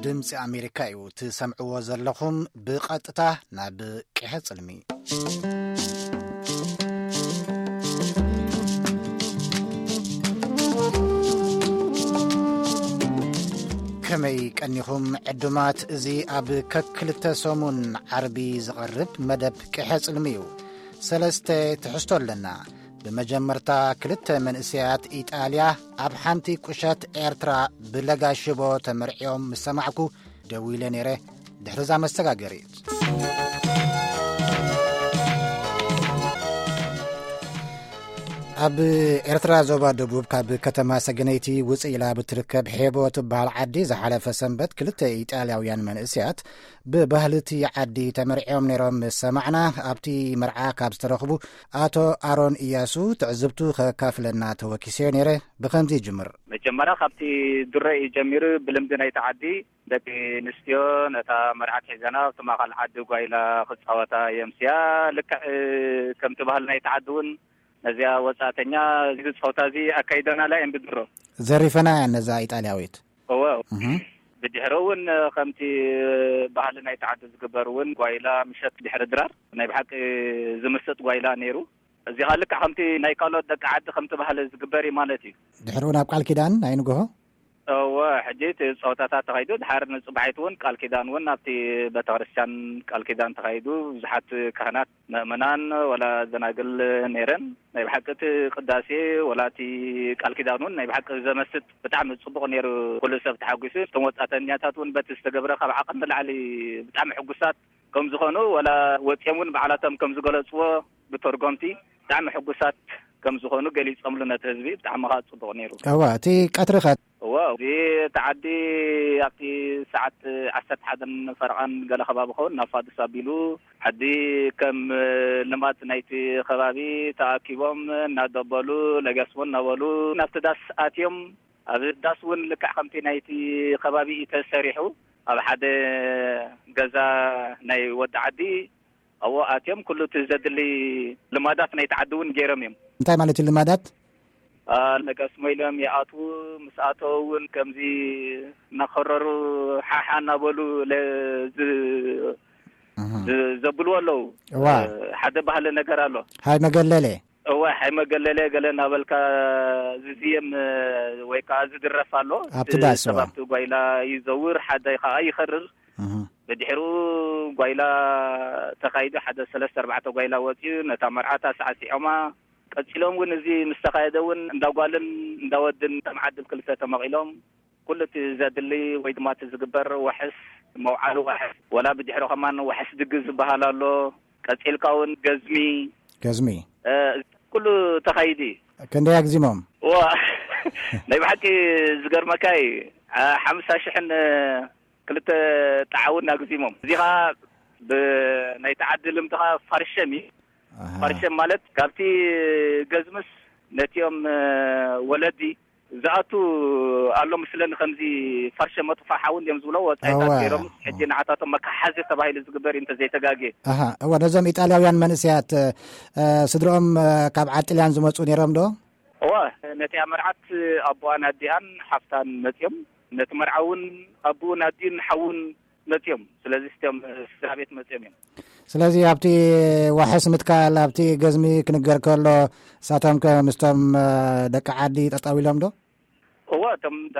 ድምፂ ኣሜሪካ እዩ ትሰምዕዎ ዘለኹም ብቐጥታ ናብ ቅሐ ፅልሚ። ከመይ ቀኒኹም ዕዱማት? እዚ ኣብ ከክልተ ሰሙን ዓርቢ ዝቐርብ መደብ ቅሐ ጽልሚ እዩ። ሰለስተ ትሕዝቶ ኣለና። ብመጀመርታ ክልተ መንእሰያት ኢጣልያ ኣብ ሓንቲ ቁሸት ኤርትራ ብለጋ ሽቦ ተመርዕዮም ምስ ሰማዕኩ ደዊለ ነይረ። ድሕርዛ መሰጋገሪት። ኣብ ኤርትራ ዞባ ደቡብ ካብ ከተማ ሰገነይቲ ውፅእ ኢላ ብትርከብ ሄቦ ትበሃል ዓዲ ዝሓለፈ ሰንበት ክልተ ኢጣልያውያን መንእሰያት ብባህልቲ ዓዲ ተመርዕዮም ነይሮም ምስ ሰማዕና፣ ኣብቲ መርዓ ካብ ዝተረኽቡ ኣቶ ኣሮን እያሱ ትዕዝብቱ ከካፍለና ተወኪሰዮ ነይረ። ብኸምዚ ይጅምር። መጀመርያ ካብቲ ድሮ እዩ ጀሚሩ። ብልምዲ ናይቲ ዓዲ ደቂ ኣንስትዮ ነታ መርዓት ሒዘና ኣብቲ ማእኸል ዓዲ ጓይላ ክፃወታ የምስያ። ልክዕ ከምቲ ባህሊ ናይቲ ዓዲ እውን ነዚኣ ወፃእተኛ እዚ ፀወታ እዚ ኣካይደናላ እየን ብድሮ። ዘሪፈና እየን ነዛ ኢጣልያዊት። እወ። እህ። ብድሕሪ እውን ከምቲ ባህሊ ናይቲ ዓዲ ዝግበር እውን ጓይላ ምሸት ድሕሪ ድራር ናይ ብሓቂ ዝምስጥ ጓይላ ነይሩ። እዚ ኸዓ ልክዕ ከምቲ ናይ ካልኦት ደቂ ዓዲ ከምቲ ባህሊ ዝግበር እዩ ማለት እዩ። ድሕሪኡ ናብ ቃል ኪዳን ናይ ንግሆ? እወ፣ ሕጂ እቲ ፀወታታት ተኻይዱ፣ ድሓር ንፅባሒት እውን ቃል ኪዳን እውን ኣብቲ ቤተክርስትያን ቃል ኪዳን ተኻይዱ። ብዙሓት ካህናት፣ ምእመናን፣ ወላ ደናግል ነይረን። ናይ ብሓቂ እቲ ቅዳሴ፣ ወላ እቲ ቃል ኪዳን እውን ናይ ብሓቂ ዘመስጥ ብጣዕሚ ፅቡቕ ነይሩ። ኩሉ ሰብ ተሓጒሱ። እቶም ወፃእተኛታት እውን በቲ ዝተገብረ ካብ ዓቐን ንላዕሊ ብጣዕሚ ሕጉሳት ከም ዝኾኑ፣ ወላ ወፂኦም እውን ባዕላቶም ከም ዝገለፅዎ ብተርጎምቲ ብጣዕሚ ሕጉሳት ከም ዝኾኑ ገሊፆምሉ ነቲ ህዝቢ። ብጣዕሚ ከዓ ፅቡቕ ነይሩ። እዋ፣ እቲ ቀትሪ ኸ? እዋ፣ እዚ እቲ ዓዲ ኣብቲ ሰዓት ዓሰርተ ሓደን ፈረቓን ገለ ከባቢ ኸውን ናብ ፋዱስ ኣቢሉ፣ ዓዲ ከም ልማድ ናይቲ ከባቢ ተኣኪቦም እናደበሉ፣ ለገስቦ እናበሉ ናብቲ ዳስ ኣትዮም። ኣብ ዳስ እውን ልክዕ ከምቲ ናይቲ ከባቢ እዩ ተሰሪሑ። ኣብ ሓደ ገዛ ናይ ወዲ ዓዲ ኣብኡ ኣትዮም ኩሉ እቲ ዘድሊ ልማዳት ናይቲ ዓዲ እውን ገይሮም እዮም። እንታይ ማለት እዩ ልማዳት? አ፣ ለገስሞ ኢሎም ይኣትዉ። ምስ ኣተዉ እውን ከምዚ እናኸረሩ ሓሓ እናበሉ ለ-፣ ዝ-፣ እህ። ዝ-፣ ዘብልዎ ኣለዉ። እዋ። እ፣ ሓደ ባህሊ ነገር ኣሎ። ሃይ መገለለ። እዋ፣ ሃይ መገለለ ገለ እናበልካ ዝዝየም፣ እ፣ ወይ ከዓ ዝድረፍ ኣሎ። ኣብቲ እቲ ዳስ፣ እዋ። ሰብ ኣብቲ ጓይላ ይዘውር፣ ሓደ ከዓ ይኸርር። እህ። ብድሕሩ ጓይላ ተኻይዱ ሓደ ሰለስተ ኣርባዕተ ጓይላ ወፂኡ ነታ መርዓት ኣሳዕሲዖማ። ቀፂሎም እውን እዚ ምስ ተኻየደ እውን እንዳ ጓልን እንዳ ወድን ከም ዓድል ክልተ ተመቒሎም ኩሉ እቲ ዘድሊ ወይ ድማ እቲ ዝግበር ዋሕስ፣ መውዓሊ ዋሕስ፣ ወላ ብድሕሩ ከማን ዋሕስ ድግስ ዝበሃል ኣሎ። ቀፂልካ እውን ገዝሚ፣ ገዝሚ። እ፣ ኩሉ ተኻይዱ እዩ። ክንደይ ኣግዚሞም? ዋ፣ ናይ ብሓቂ ዝገርመካ እዩ። አ፣ ሓምሳ ሽሕን ክልተ ጣዕውን ኣግዚሞም። እዚ ኸዓ ብ-፣ ናይቲ ዓዲ ልምዲ ኸዓ ፋርሸም እዩ። ኣሃ። ፋርሸም ማለት ካብቲ ገዝምስ ነቲኦም፣ እ፣ ወለዲ ዝኣቱ ኣሎ ምስለኒ፣ ከምዚ ፋርሸም መጥፋ ሓዊ እንዲኦም ዝብሎ ወጻኢታት እወ። ገይሮም፣ ሕጂ ንዓታቶም መከሓዚ ተባሂሉ ዝግበር እዩ እንተዘይተጋግየ። ኣሃ፣ እወ፣ ነዞም ኢጣልያውያን መንእሰያት፣ እ፣ ስድርኦም፣ እ፣ ካብ ዓዲ ጥልያን ዝመጹ ነይሮም ዶ? እወ፣ ነቲኣ መርዓት ኣቦኣን ኣዲኣን ሓፍታን መጺኦም፣ ነቲ መርዓ እውን ኣቦኡን ኣዲኡን ሓውን መጺኦም። ስለዚ እዚኦም ስድራ ቤት መጺኦም እዮም። ስለዚ ኣብቲ ዋሕስ ምትካል፣ ኣብቲ ገዝሚ ክንገር ከሎ፣ ንሳቶም ከ ምስቶም፣ እ፣ ደቂ ዓዲ ጠጠው ኢሎም ዶ? እወ፣ እቶም እንዳ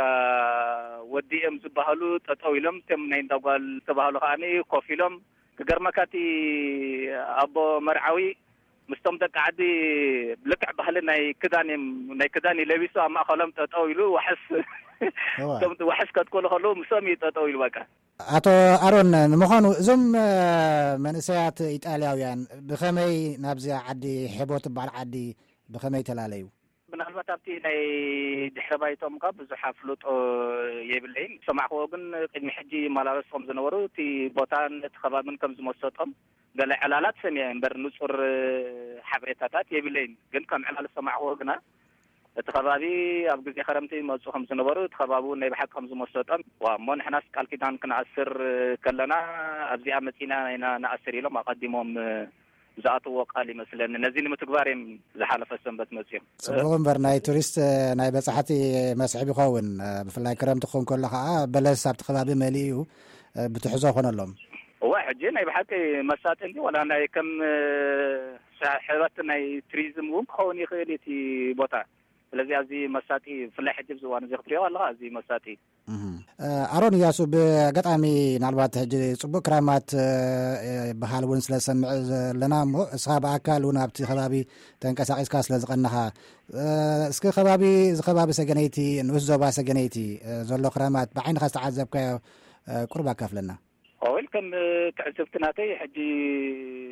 ወዲ እዮም ዝበሃሉ ጠጠው ኢሎም፣ እቶም ናይ እንዳ ጓል ዝተባህሉ ከኣ ኮፍ ኢሎም። ክገርመካ እቲ ኣቦ መርዓዊ ምስቶም ደቂ ዓዲ ልክዕ ባህሊ ናይ ክዳን እዮም፣ ናይ ክዳን እዩ ለቢሱ ኣብ ማእከሎም ጠጠው ኢሉ ዋሕስ፣ እወ። እቶም ዋሕስ ከትክሉ ከለዉ ምስኦም እዩ ጠጠው ኢሉ በቃ። ኣቶ ኣሮን፣ ንምዃኑ እዞም፣ እ፣ መንእሰያት ኢጣልያውያን ብኸመይ ናብዚኣ ዓዲ ሄቦ ትበሃል ዓዲ ብኸመይ ተላለዩ? ምናልባት ኣብቲ ናይ ድሕረ ባይትኦም እኳ ብዙሕ ኣፍልጦ የብለይን። ዝሰማዕክዎ ግን ቅድሚ ሕጂ ይመላለሱ ከም ዝነበሩ፣ እቲ ቦታን እቲ ከባብን ከም ዝመሰጦም ገለ ዕላላት ሰሚዐ እምበር ንጹር ሓበሬታታት የብለይን። ግን ከም ዕላል ዝሰማዕክዎ ግና እቲ ከባቢ ኣብ ግዜ ከረምቲ ይመጹ ከም ዝነበሩ፣ እቲ ከባቢ እውን ናይ ብሓቂ ከም ዝመሰጦም፣ ዋ፣ እሞ ንሕናስ ቃል ኪዳን ክንኣስር ከለና ኣብዚኣ መጺና ኢና ንኣስር ኢሎም ኣቐዲሞም ዝኣትዎ ቃል ይመስለኒ። ነዚ ንምትግባር እዮም ዝሓለፈ ሰንበት መፅዮም። ጽቡቕ እምበር፣ ናይ ቱሪስት፣ ናይ በጻሕቲ መስሕብ ይኸውን። ብፍላይ ክረምቲ ክኸውን ከሎ ኸዓ በለስ ኣብቲ ከባቢ መሊኡ እዩ፣ ብትሕዞ ኾነሎም። እዋ፣ ሕጂ ናይ ብሓቂ መሳጢ እንዲ፣ ዋላ ናይ ከም ሰሕበት ናይ ቱሪዝም እውን ክኸውን ይኽእል እቲ ቦታ። ስለዚ ኣዝዩ መሳጢ፣ ብፍላይ ሕጂ ኣብዚ እዋን እዚ ክትሪኦ ኣለኻ፣ ኣዝዩ መሳጢ። ኣሮን እያሱ፣ ብኣጋጣሚ ናልባት ሕጂ ጽቡቅ ክራማት ይበሃል እውን ስለ ዝሰምዕ ዘለና እሞ፣ እስኻ ብኣካል እውን ኣብቲ ከባቢ ተንቀሳቂስካ ስለ ዝቐነኻ፣ እስኪ ከባቢ፣ እዚ ከባቢ ሰገነይቲ፣ ንኡስ ዞባ ሰገነይቲ ዘሎ ክራማት ብዓይንኻ ዝተዓዘብካዮ ቁሩብ ኣካፍለና። ኦይል ከም ትዕዝብቲ ናተይ፣ ሕጂ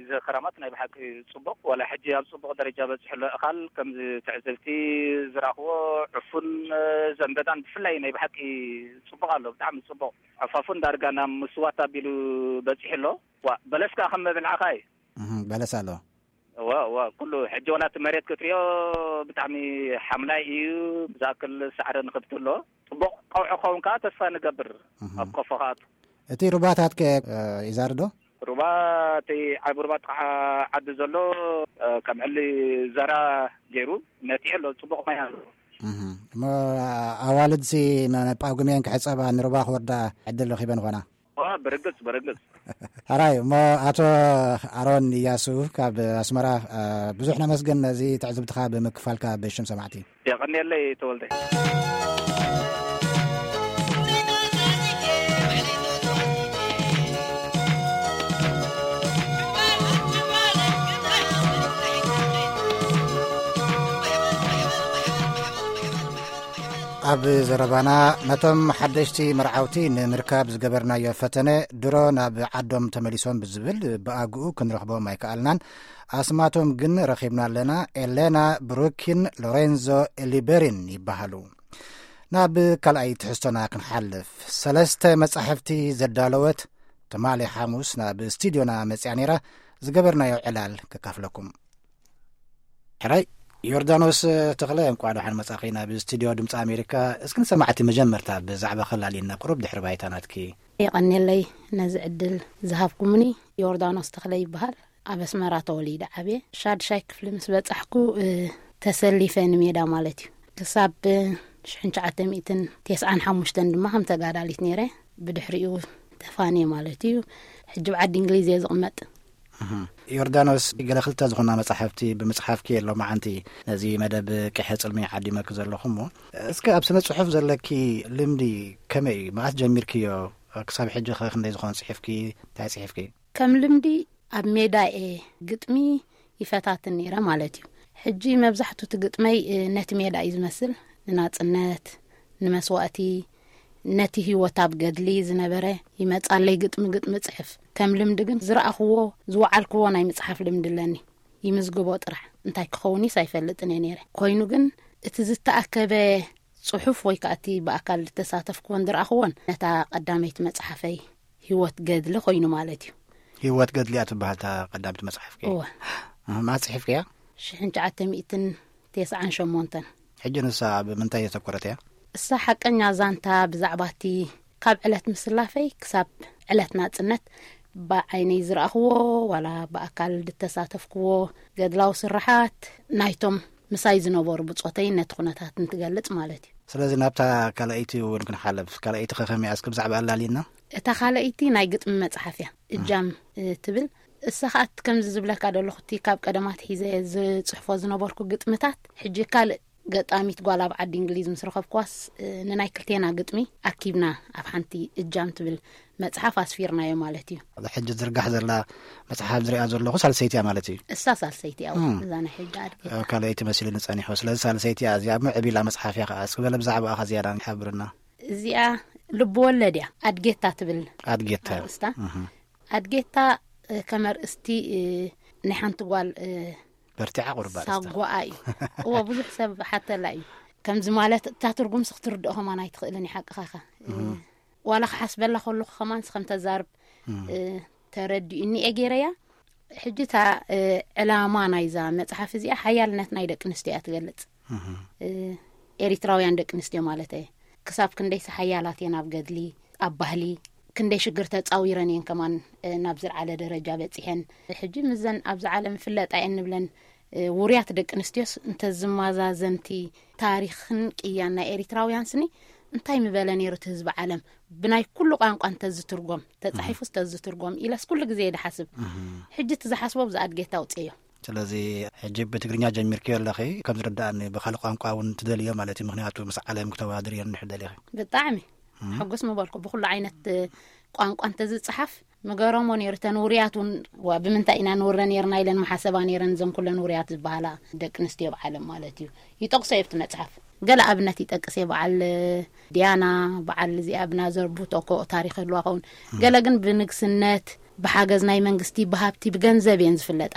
እዚ ክራማት ናይ ብሓቂ ጽቡቕ፣ ዋላ ሕጂ ኣብ ጽቡቕ ደረጃ በጺሑ ኣሎ። እኻል ከምዚ ትዕዝብቲ ዝረኽቦ፣ ዕፉን፣ ዘንበዳን ብፍላይ ናይ ብሓቂ ጽቡቕ ኣሎ፣ ብጣዕሚ ጽቡቕ። ዕፋፉን ዳርጋ ናብ ምስዋት ኣቢሉ በጺሑ ኣሎ። ዋ፣ በለስ ከኣ ከም መብልዓኻ እዩ። እህም፣ በለስ ኣሎ። እዋ፣ እዋ፣ ኩሉ ሕጂ ዋላ እቲ መሬት ክትሪኦ ብጣዕሚ ሓምላይ እዩ። ዝኣክል ሳዕሪ ንኽብቲ ኣሎ። ጽቡቕ ቀውዒ ክኸውን ከኣ ተስፋ ንገብር። እህም። ኣብ ቆፎ ከኣቱ። እቲ ሩባታት ከ፣ እ፣ ይዛሪ ዶ? ሩባ፣ እቲ ዓቢ ሩባ ጥቓ ዓዲ ዘሎ፣ እ፣ ከም ዕሊ ዘራ ገይሩ ነቲሑ ኣሎ። ጽቡቕ ማይ ኣሎ። እህም። እሞ ኣዋልድሲ ን-፣ ጳጉሜን ክሕጸባ ንሩባ ክወርዳ ዕድል ረኺበን ኾና? ዋ፣ ብርግጽ፣ ብርግጽ። ሕራይ፣ እሞ ኣቶ ኣሮን እያሱ ካብ ኣስመራ፣ እ፣ ብዙሕ ነመስግን ነዚ ትዕዝብትኻ ብምክፋልካ ብሽም ሰማዕቲ። የቐንየለይ ተወልደ። ኣብ ዘረባና፣ ነቶም ሓደሽቲ መርዓውቲ ንምርካብ ዝገበርናዮ ፈተነ፣ ድሮ ናብ ዓዶም ተመሊሶም ብዝብል ብኣግኡ ክንረኽቦም ኣይከኣልናን። ኣስማቶም ግን ረኺብና ኣለና። ኤሌና ብሩኪን ሎሬንዞ ኤሊበሪን ይበሃሉ። ናብ ካልኣይ ትሕዝቶና ክንሓልፍ፣ ሰለስተ መጻሕፍቲ ዘዳለወት ትማሊ ሓሙስ ናብ ስቱድዮና መጽያ ነይራ። ዝገበርናዮ ዕላል ከካፍለኩም። ሕራይ፣ ዮርዳኖስ ተኽለ፣ እንቋዕ ደሓን መጻኺ ናብ ስቱድዮ ድምጺ ኣሜሪካ። እስኪ ንሰማዕቲ መጀመርታ ብዛዕባ ከላልየና ቁሩብ ድሕሪ ባይታ ናትኪ። የቐንየለይ ነዚ ዕድል ዝሃብኩምኒ። ዮርዳኖስ ተኽለ ይበሃል። ኣብ ኣስመራ ተወሊደ ዓብየ። ሻድሻይ ክፍሊ ምስ በጻሕኩ፣ እ፣ ተሰሊፈ ንሜዳ ማለት እዩ። ክሳብ፣ እ፣ ሽሕን ትሽዓተ ሚእትን ተስዓን ሓሙሽተን ድማ ከም ተጋዳሊት ነይረ። ብድሕሪኡ ተፋንየ ማለት እዩ። ሕጂ ኣብ ዓዲ እንግሊዝ እየ ዝቕመጥ። እህ። ዮርዳኖስ፣ ገለ ክልተ ዝኾና መጻሕፍቲ ብምጽሓፍኪ እየ ሎማዓንቲ ነዚ መደብ ቅሐ ጽልሚ ዓዲመኪ ዘለኹ እሞ፣ እስከ ኣብ ስነ ጽሑፍ ዘለኪ ልምዲ ከመይ እዩ? መዓስ ጀሚርክዮ? ክሳብ ሕጂ ኸ ክንደይ ዝኾነ ጽሒፍኪ? እንታይ ጽሒፍኪ? ከም ልምዲ ኣብ ሜዳ እየ ግጥሚ ይፈታትን ነይረ ማለት እዩ። ሕጂ መብዛሕቱ እቲ ግጥመይ፣ እ፣ ነቲ ሜዳ እዩ ዝመስል። ንናጽነት፣ ንመስዋእቲ፣ ነቲ ህይወት ኣብ ገድሊ ዝነበረ ይመጻለይ ግጥሚ ግጥሚ ጽሕፍ። ከም ልምዲ ግን ዝረኣኽዎ፣ ዝወዓልክዎ ናይ ምጽሓፍ ልምዲ ኣለኒ። ይምዝግቦ ጥራሕ። እንታይ ክኸውንስ ኣይፈልጥን እየ ነይረ። ኮይኑ ግን እቲ ዝተኣከበ ጽሑፍ ወይ ከኣ እቲ ብኣካል ዝተሳተፍክዎን ዝረኣኽዎን ነታ ቀዳመይቲ መጽሓፈይ ህይወት ገድሊ ኮይኑ ማለት እዩ። ህይወት ገድሊ እያ ትበሃል እታ ቀዳመይቲ መጽሓፍኪ? እወ። እህ፣ መዓስ ጽሒፍክያ? ሽሕን ትሽዓተ ሚእትን ተስዓን ሸሞንተን። ሕጂ ንሳ ብምንታይ ዘተኮረት እያ? እሳ ሓቀኛ ዛንታ ብዛዕባ እቲ ካብ ዕለት ምስላፈይ ክሳብ ዕለት ናጽነት ብዓይነይ ዝረኣኽዎ ዋላ ብኣካል ዝተሳተፍክዎ ገድላዊ ስርሓት ናይቶም ምሳይ ዝነበሩ ብጾተይ ነቲ ኩነታት እንትገልጽ ማለት እዩ። ስለዚ ናብታ ካልኣይቲ እውን ክንሓልፍ። ካልኣይቲ ከ ከመይ እያ? እስኪ ብዛዕባ ኣላልየና። እታ ካልኣይቲ ናይ ግጥሚ መጽሓፍ እያ። እጃም፣ እ፣ ትብል። እሳ ኸኣ ከምዚ ዝብለካ ዘለኹ፣ እቲ ካብ ቀደማት ሒዘ ዝጽሕፎ ዝነበርኩ ግጥምታት፣ ሕጂ ካልእ ገጣሚት ጓል ኣብ ዓዲ እንግሊዝ ምስ ረኸብክዋስ፣ እ፣ ንናይ ክልቴና ግጥሚ ኣኪብና ኣብ ሓንቲ እጃም ትብል መጽሓፍ ኣስፊርናዮ ማለት እዩ። እዛ ሕጂ ዝርጋሕ ዘላ መጽሓፍ ዝሪኣ ዘለኹ ሳልሰይቲ እያ ማለት እዩ? እሳ ሳልሰይቲ እያ፣ እም። እዛ ናይ ሕጂ ኣድጊ። እ፣ ካልኣይቲ መሲሉኒ ጸኒሑ። ስለዚ ሳልሰይቲ እያ እዚኣ፣ ምዕብ ኢላ መጽሓፍ እያ ከኣ። እስኪ በለ ብዛዕባኣ ከ ዝያዳ ሓብርና። እዚኣ ልቢ ወለድ እያ። ኣድጌታ ትብል ኣድጌታ። ኣርእስታ። እህ። ኣድጌታ፣ እ፣ ከም ኣርእስቲ፣ እ፣ ናይ ሓንቲ ጓል፣ እ፣ በርቲዓ ቁሩብ ኣርእስታ። ሳጓኣ እዩ። እወ፣ ብዙሕ ሰብ ሓተላ እዩ። ከምዚ ማለት እታ ትርጉምሲ ክትርድኦ ከማን ኣይትኽእልን እዩ፣ ሓቅኻ ኸ። እ፣ እህ። ዋላ ክሓስበላ ከለኹ ከማንስ ከም ተዛርብ፣ እህ። እ፣ ተረዲኡኒ እየ ገይረያ። ሕጂ እታ፣ እ፣ ዕላማ ናይዛ መጽሓፍ እዚኣ ሓያልነት ናይ ደቂ ኣንስትዮ እያ ትገልጽ። እህ። እ፣ ኤሪትራውያን ደቂ ኣንስትዮ ማለት እየ። ክሳብ ክንደይሲ ሓያላት እየን ኣብ ገድሊ፣ ኣብ ባህሊ፣ ክንደይ ሽግር ተጻዊረን እየን ከማን ናብ ዝለዓለ ደረጃ በጺሐን። ሕጂ ምዘን ኣብዚ ዓለም ፍለጣ እየን ንብለን ውርያት ደቂ ኣንስትዮስ እንተዝማዛዘንቲ ታሪኽን ቅያን ናይ ኤሪትራውያን ስኒ እንታይ ምበለ ነይሩ እቲ ህዝቢ ዓለም? ብናይ ኩሉ ቋንቋ እንተዝትርጎም፣ ተጻሒፉ እንተዝትርጎም ኢለስ ኩሉ ግዜ እየ ድሓስብ። ሕጂ እቲ ዝሓስቦ ብዛ ኣድጌታ ኣውፅእዮ። ስለዚ ሕጂ ብትግርኛ ጀሚርክዮ ኣለኺ፣ ከም ዝርዳእኒ ብኻልእ ቋንቋ እውን ትደልዮ ማለት እዩ። ምኽንያቱ ምስ ዓለም ክተወዳድርዮ እንድሕር ደሊኺ። ብጣዕሚ ሕጉስ ምበልኩ። ብኩሉ ዓይነት ቋንቋ እንተዝፀሓፍ ምገረሞ ነይሩ። እተን ውርያት እውን ዋ ብምንታይ ኢና ንውረ ነይርና ኢለን መሓሰባ ነይረን። እዘን ኩለን ውርያት ዝበሃላ ደቂ ኣንስትዮ ብዓለም ማለት እዩ። ይጠቕሶ እየ ኣብቲ መፅሓፍ። ገለ ኣብነት ይጠቅስ እየ። በዓል ዲያና፣ በዓል እዚኣ ብናዘር ቡቶኮ ታሪኽ ህልዋ ኸውን። ገለ ግን ብንግስነት፣ ብሓገዝ ናይ መንግስቲ፣ ብሃብቲ፣ ብገንዘብ እየን ዝፍለጣ።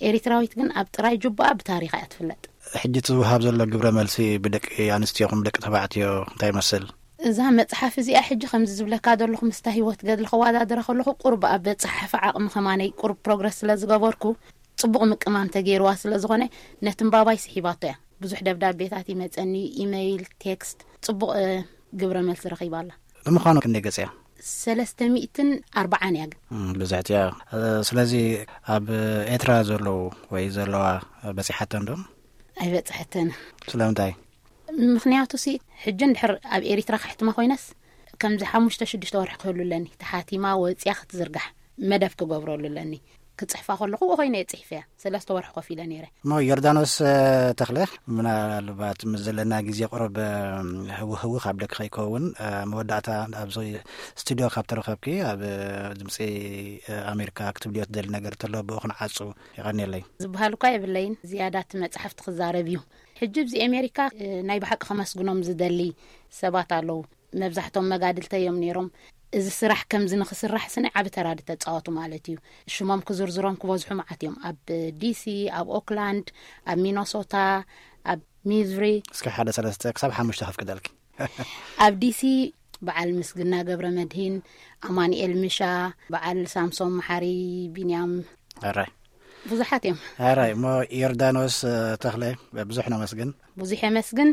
ኤሪትራዊት ግን ኣብ ጥራይ ጁባኣ ብታሪኻ እያ ትፍለጥ። ሕጂ እቲ ዝወሃብ ዘሎ ግብረ መልሲ ብደቂ ኣንስትዮ ኹም ደቂ ተባዕትዮ እንታይ ይመስል? እዛ መጽሓፍ እዚኣ ሕጂ ከምዚ ዝብለካ ዘለኹ ምስታ ህይወት ገድሊ ከወዳድረ ከለኹ ቁርብ ኣብ በጽሓፊ ዓቕሚ ከማነይ ቁርብ ፕሮግረስ ስለ ዝገበርኩ ጽቡቕ ምቅማም ተገይርዋ ስለ ዝኾነ ነቲ ንባባይ ስሒባቶ እያ። ብዙሕ ደብዳቤታት ይመጸኒ፣ ኢመይል፣ ቴክስት፣ ጽቡቕ ግብረ መልሲ ረኺባ ኣላ። ንምዃኑ ክንደይ ገጽ እያ? ሰለስተ ሚእትን ኣርባዓን እያ ግን። እም፣ ብዝሕቲ እያ። እ፣ ስለዚ ኣብ ኤርትራ ዘለዉ ወይ ዘለዋ በጺሓተን ዶ? ኣይበጽሐተን። ስለምንታይ? ምኽንያቱ ሲ ሕጂ እንድሕር ኣብ ኤሪትራ ከሕትማ ኮይነስ ከምዚ ሓሙሽተ ሽዱሽተ ወርሒ ክህሉ ኣለኒ። ተሓቲማ ወጽያ ክትዝርጋሕ መደብ ክገብረሉ ኣለኒ። ክጽሕፋ ከለኹ ኮይነ እየ ጽሒፈያ። ሰለስተ ወርሒ ኮፍ ኢለ ነይረ። እሞ ዮርዳኖስ፣ እ፣ ተኽለ፣ ምናልባት ምስ ዘለና ግዜ ቁሩብ፣ እ፣ ህውህው ካብ ደቂ ከይከውን፣ እ፣ መወዳእታ ኣብዚ ስቱድዮ ካብ ተረኸብኪ ኣብ፣ እ፣ ድምፂ፣ እ፣ ኣሜሪካ ክትብልዮ ትደሊ ነገር እንተሎ ብኡ ክንዓጹ የቐንየለይ። ዝበሃል እኳ የብለይን። ዝያዳ እቲ መጽሓፍቲ ክዛረብ እዩ። ሕጂ ኣብዚ ኣሜሪካ፣ እ፣ ናይ ብሓቂ ከመስግኖም ዝደሊ ሰባት ኣለዉ። መብዛሕቶም መጋድልተ እዮም ነይሮም። እዚ ስራሕ ከምዚ ንኽስራሕ ስኒ ዓቢ ተራ ዝተጻወቱ ማለት እዩ። ሽሞም ክዝርዝሮም ክበዝሑ መዓት እዮም። ኣብ ዲሲ፣ ኣብ ኦክላንድ፣ ኣብ ሚኖሶታ፣ ኣብ ሚዙሪ። እስከ ሓደ ሰለስተ ክሳብ ሓሙሽተ ከፍቅደልኪ። ኣብ ዲሲ በዓል ምስግና ገብረ መድሂን፣ ኣማኑኤል ምሻ፣ በዓል ሳምሶም መሓሪ፣ ቢንያም፣ ኣራይ። ብዙሓት እዮም። ኣራይ፣ እሞ ዮርዳኖስ፣ እ፣ ተኽለ፣ ብዙሕ ነመስግን። ብዙሕ የመስግን።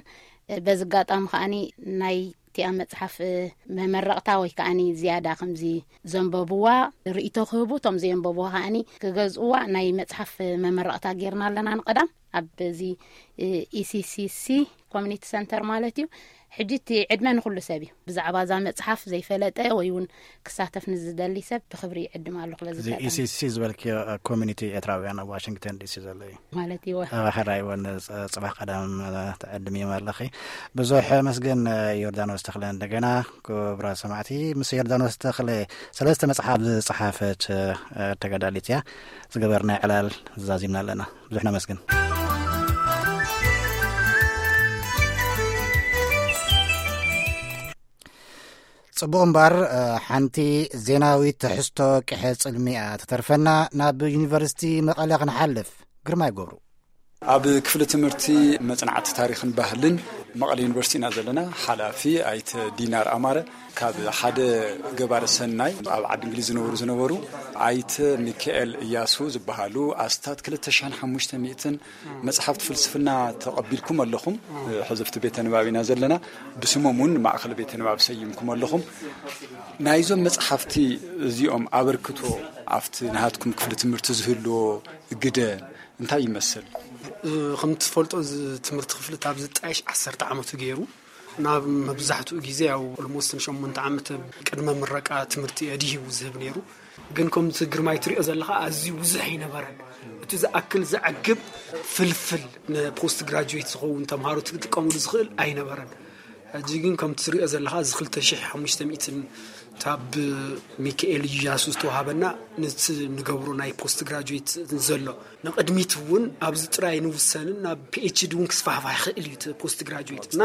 በዚ ኣጋጣሚ ከኣኒ ናይ እቲኣ መጽሓፍ፣ እ፣ መመረቕታ ወይ ከኣኒ ዝያዳ ከምዚ ዘንበብዋ ርእይቶ ክህቡ፣ እቶም ዘየንበብዋ ከኣኒ ክገዝእዋ ናይ መጽሓፍ መመረቕታ ጌርና ኣለና ንቐዳም ኣብ እዚ፣ እ፣ ኢሲሲሲ ኮሚኒቲ ሰንተር ማለት እዩ። ሕጂ እቲ ዕድመ ንኹሉ ሰብ እዩ። ብዛዕባ እዛ መጽሓፍ ዘይፈለጠ ወይ እውን ክሳተፍ ንዝደሊ ሰብ ብኽብሪ ይዕድም ኣለኹ። በዚ እዚ ኣጋጣሚ ኢሲሲ ዝበልክዮ፣ እ፣ ኮሚኒቲ ኤርትራውያን ኣብ ዋሽንግተን ዲሲ ዘሎ እዩ። ማለት እዩ። ኣብ ሕራይ እውን ጽ-፣ ጽባሕ ቀዳም፣ እ፣ ትዕድምዮም ኣለኺ። ብዙሕ መስገን፣ እ፣ ዮርዳኖስ ተኽለ። እንደገና ክቡራት ሰማዕቲ፣ ምስ ዮርዳኖስ ተኽለ ሰለስተ መጽሓፍ ዝጸሓፈት፣ እ፣ ተጋዳሊት እያ። ዝገበርናዮ ዕላል ዛዚምና ኣለና። ብዙሕ ነመስግን። ጽቡቕ እምበር፣ እ፣ ሓንቲ ዜናዊት ትሕዝቶ ቅሐ ጽልሚ እያ ትተርፈና። ናብ ዩኒቨርሲቲ መቐለ ክንሓልፍ። ግርማይ ገብሩ። ኣብ ክፍሊ ትምህርቲ መጽናዕቲ ታሪኽን ባህልን መቐለ ዩኒቨርሲቲ ኢና ዘለና። ሓላፊ ኣይተ ዲናር ኣማረ። ካብ ሓደ ገባሪ ሰናይ ኣብ ዓዲ እንግሊዝ ዝነብሩ ዝነበሩ ኣይተ ሚካኤል እያሱ ዝበሃሉ ኣስታት ክልተ ሽሕን ሓሙሽተ ሚእትን መጽሓፍቲ ፍልስፍና ተቐቢልኩም ኣለኹም። ሕዘፍቲ ቤተ ንባብ ኢና ዘለና። ብስሞም እውን ማእኸል ቤተ ንባብ ሰይምኩም ኣለኹም። ናይዞም መጽሓፍቲ እዚኦም ኣበርክቶ ኣብቲ ናሃትኩም ክፍሊ ትምህርቲ ዝህልዎ ግደ እንታይ ይመስል? እ፣ ከም ትፈልጦ፣ እዚ ትምህርቲ ክፍሊ ካብ ዝጣየሽ ዓሰርተ ዓመቱ ገይሩ። ናብ መብዛሕትኡ ግዜ፣ ያው፣ ኦልሞስት ንሸሞንተ ዓመት ቅድመ ምረቃ ትምህርቲ እዩ ኣድሂቡ ዝህብ ነይሩ። ግን ከምቲ ግርማይ ትሪኦ ዘለኻ ኣዝዩ ብዙሕ ኣይነበረን። እቲ ዝኣክል ዘዕግብ ፍልፍል ንፖስት ግራጁዌት ዝኸውን ተምሃሮ ክትጥቀሙሉ ዝኽእል ኣይነበረን። ሕጂ ግን ከምቲ ትሪኦ ዘለኻ እዚ ክልተ ሽሕ ሓሙሽተ ሚእትን ታብ ሚካኤል እያሱ ዝተዋሃበና ነቲ ንገብሮ ናይ ፖስት ግራጁዌት ዘሎ ንቕድሚት እውን ኣብዚ ጥራይ ንውሰንን ናብ ፒኤችዲ እውን ክስፋሕፋሕ ይኽእል እዩ እቲ ፖስት ግራጁዌት እና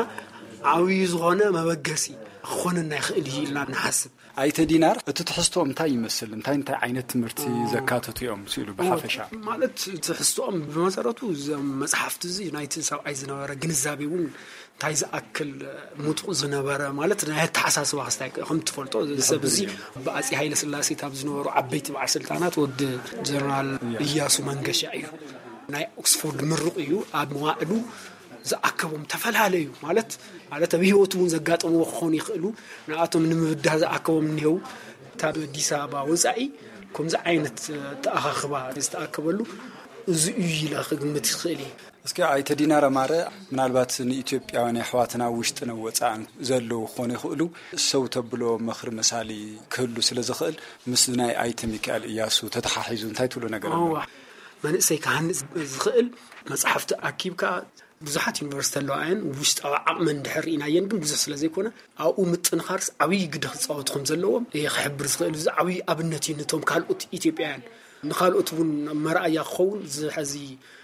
ዓብዪ ዝኾነ መበገሲ ክኾነና ይኽእል እዩ ኢልና ንሓስብ። ኣይተ ዲናር፣ እቲ ትሕዝቶ እንታይ ይመስል? እንታይ እንታይ ዓይነት ትምህርቲ ዘካተቱ እዮም ስኢሉ ብሓፈሻ? ማለት ትሕዝቶኦም ብመሰረቱ እዞም መጽሓፍቲ እዚ ናይቲ ሰብኣይ ዝነበረ ግንዛቤ እውን እንታይ ዝኣክል ምጡቕ ዝነበረ፣ ማለት ናይ ኣተሓሳስባ ክስታይ ከም ትፈልጦ፣ እዚ ሰብ እዚ ብኣጼ ሃይለ ስላሴ ካብ ዝነበሩ ዓበይቲ በዓል ስልጣናት ወዲ ጀነራል እያሱ መንገሻ እዩ። ናይ ኦክስፎርድ ምሩቕ እዩ። ኣብ መዋእሉ ዝኣከቦም ተፈላለዩ፣ ማለት፣ ማለት ኣብ ህይወቱ እውን ዘጋጠምዎ ክኾኑ ይኽእሉ፣ ንኣቶም ንምብዳህ ዝኣከቦም እኒሄው። ካብ ኣዲስ ኣበባ ወፃኢ ከምዚ ዓይነት ተኣኻኽባ ዝተኣከበሉ እዚ እዩ ኢለ ክግምት ይኽእል እየ። እስኪ ኣይተ ዲናር ኣማረ፣ ምናልባት ንኢትዮጵያውያን ኣሕዋትና ውሽጥን ወፃእን ዘለዉ ክኾኑ ይኽእሉ፣ ሰው ተብሎ ምኽሪ መሳሊ ክህሉ ስለ ዝኽእል፣ ምስ ናይ ኣይተ ሚካኤል እያሱ ተተሓሒዙ እንታይ ትብሉ ነገር ኣሎ? መንእሰይ ክሃንፅ ዝኽእል መፅሓፍቲ ኣኪብካ፣ ብዙሓት ዩኒቨርሲቲ ኣለዋ እየን፣ ውሽጣዊ ዓቕመን እንድሕር ርኢናየን ግን ብዙሕ ስለ ዘይኮነ፣ ኣብኡ ምጥንኻርስ ዓብዪ ግደ ክፃወቱ ከም ዘለዎም እየ ክሕብር ዝኽእል። እዚ ዓብዪ ኣብነት እዩ ነቶም ካልኦት ኢትዮጵያውያን፣ ንኻልኦት እውን መርኣያ ክኸውን። እዚ ሕዚ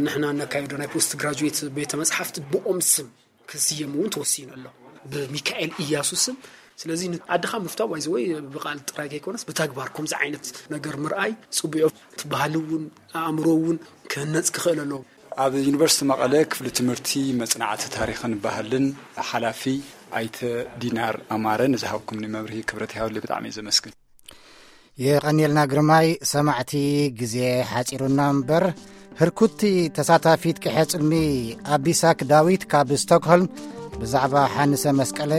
ንሕና ነካየዶ ናይ ፖስት ግራጁዌት ቤተ መፅሓፍቲ ብኦም ስም ክስየም እውን ተወሲኑ ኣሎ፣ ብሚካኤል እያሱ ስም። ስለዚ ዓድኻ ምፍታው ባይዘወይ ብቃል ጥራይ ከይኮነስ ብተግባር ከምዚ ዓይነት ነገር ምርኣይ ፅቡዮ። እቲ ባህሊ እውን ኣእምሮ እውን ክህነፅ ክኽእል ኣለዎ። ኣብ ዩኒቨርሲቲ መቐለ ክፍሊ ትምህርቲ መፅናዕቲ ታሪኽን ባህልን ሓላፊ ኣይተ ዲናር ኣማረ ንዝሃብኩምኒ መብርሂ ክብረት ይሃብለይ፣ ብጣዕሚ እየ ዘመስግን። የቐንየልና ግርማይ። ሰማዕቲ፣ ግዜ ሓፂሩና እምበር ህርኩቲ ተሳታፊት ቅሐ ፅልሚ ኣቢሳክ ዳዊት ካብ ስቶክሆልም ብዛዕባ ሓንሰ መስቀለ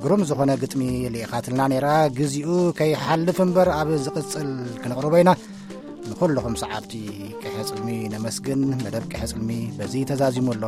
ግሩም ዝኾነ ግጥሚ ልኢኻትልና ነይራ። ግዚኡ ከይሓልፍ እምበር ኣብ ዝቕፅል ክንቕርቦ ኢና። ንኹልኹም ሰዓብቲ ቅሐ ፅልሚ ነመስግን። መደብ ቅሐ ፅልሚ በዚ ተዛዚሙ ኣሎ።